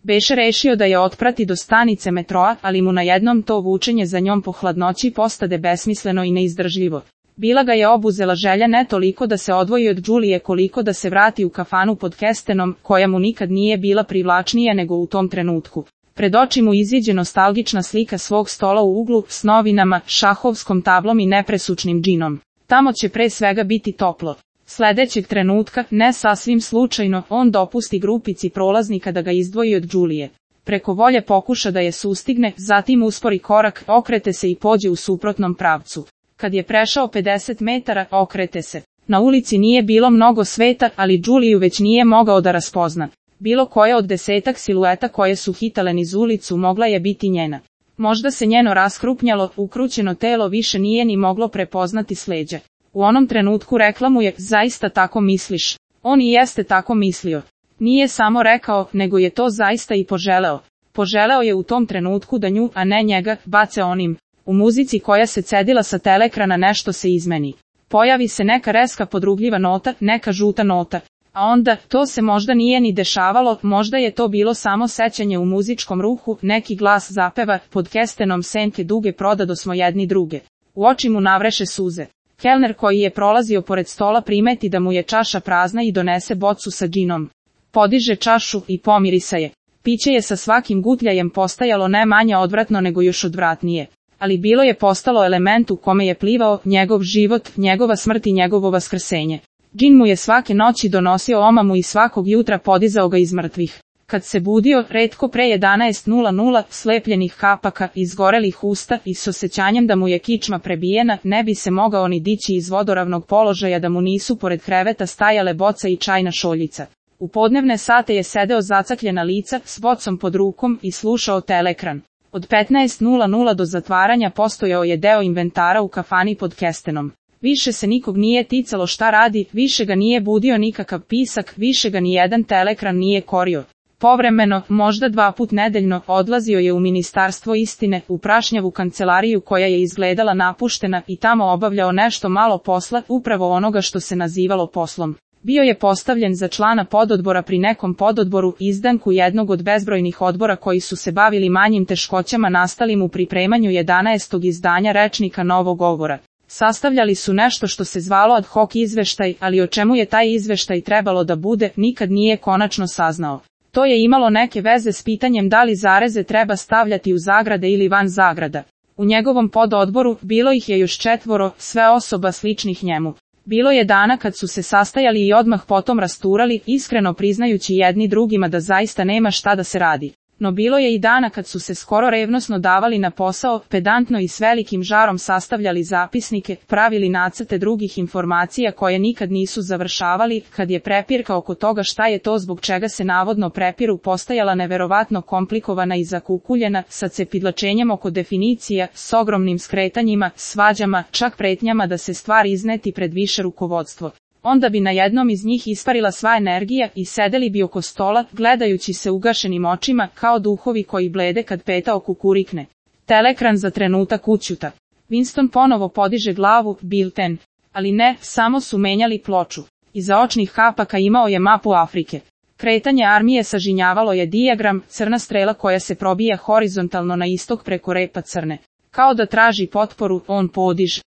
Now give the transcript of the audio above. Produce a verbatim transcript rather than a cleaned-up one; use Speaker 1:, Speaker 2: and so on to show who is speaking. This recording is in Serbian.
Speaker 1: Beše rešio da je otprati do stanice metroa, ali mu najednom to vučenje za njom po hladnoći postade besmisleno i neizdržljivo. Bila ga je obuzela želja ne toliko da se odvoji od Đulije koliko da se vrati u kafanu pod Kestenom, koja mu nikad nije bila privlačnija nego u tom trenutku. Pred oči mu iziđe nostalgična slika svog stola u uglu, s novinama, šahovskom tablom i nepresučnim džinom. Tamo će pre svega biti toplo. Sledećeg trenutka, ne sasvim slučajno, on dopusti grupici prolaznika da ga izdvoji od Đulije. Preko volje pokuša da je sustigne, zatim uspori korak, okrete se i pođe u suprotnom pravcu. Kad je prešao pedeset metara, okrete se. Na ulici nije bilo mnogo sveta, ali Đuliju već nije mogao da raspozna. Bilo koja od desetak silueta koje su hitale niz ulicu mogla je biti njena. Možda se njeno raskrupnjalo, ukrućeno telo više nije ni moglo prepoznati s leđa. U onom trenutku rekla mu je, zaista tako misliš? On i jeste tako mislio. Nije samo rekao, nego je to zaista i poželeo. Poželeo je u tom trenutku da nju, a ne njega, bace onim. U muzici koja se cedila sa telekrana nešto se izmeni. Pojavi se neka reska podrugljiva nota, neka žuta nota. A onda, to se možda nije ni dešavalo, možda je to bilo samo sećanje u muzičkom ruhu, neki glas zapeva, pod Kestenom senke duge prodado smo jedni druge. U oči mu navreše suze. Kelner koji je prolazio pored stola primeti da mu je čaša prazna i donese bocu sa džinom. Podiže čašu i pomirisa je. Piće je sa svakim gutljajem postajalo ne manje odvratno nego još odvratnije. Ali bilo je postalo element u kome je plivao njegov život, njegova smrt i njegovo vaskrsenje. Džin mu je svake noći donosio omamu i svakog jutra podizao ga iz mrtvih. Kad se budio, retko pre jedanaest slepljenih kapaka, izgorelih usta i s osjećanjem da mu je kičma prebijena, ne bi se mogao ni dići iz vodoravnog položaja da mu nisu pored kreveta stajale boca i čajna šoljica. U podnevne sate je sedeo zacakljena lica, s bocom pod rukom i slušao telekran. Od petnaest do zatvaranja postojao je deo inventara u kafani pod Kestenom. Više se nikog nije ticalo šta radi, više ga nije budio nikakav pisak, više ga ni jedan telekran nije korio. Povremeno, možda dva put nedeljno, odlazio je u Ministarstvo istine, u prašnjavu kancelariju koja je izgledala napuštena i tamo obavljao nešto malo posla, upravo onoga što se nazivalo poslom. Bio je postavljen za člana pododbora pri nekom pododboru, izdanku jednog od bezbrojnih odbora koji su se bavili manjim teškoćama nastalim u pripremanju jedanaestog izdanja rečnika novog govora. Sastavljali su nešto što se zvalo ad hoc izveštaj, ali o čemu je taj izveštaj trebalo da bude, nikad nije konačno saznao. To je imalo neke veze s pitanjem da li zareze treba stavljati u zagrade ili van zagrada. U njegovom pododboru bilo ih je još četvoro, sve osoba sličnih njemu. Bilo je dana kad su se sastajali i odmah potom rasturali, iskreno priznajući jedni drugima da zaista nema šta da se radi. No bilo je i dana kad su se skoro revnosno davali na posao, pedantno i s velikim žarom sastavljali zapisnike, pravili nacrte drugih informacija koje nikad nisu završavali, kad je prepirka oko toga šta je to zbog čega se navodno prepiru postajala neverovatno komplikovana i zakukuljena, sa cepidlačenjem oko definicija, s ogromnim skretanjima, svađama, čak pretnjama da se stvar izneti pred više rukovodstvo. Onda bi na jednom iz njih isparila sva energija i sedeli bi oko stola, gledajući se ugašenim očima, kao duhovi koji blede kad petao kukurikne. Telekran za trenutak ućuta. Winston ponovo podiže glavu, bilten. Ali ne, samo su menjali ploču. Iza očnih kapaka imao je mapu Afrike. Kretanje armije sažinjavalo je dijagram, crna strela koja se probija horizontalno na istok preko repa crne. Kao da traži potporu, on podiže.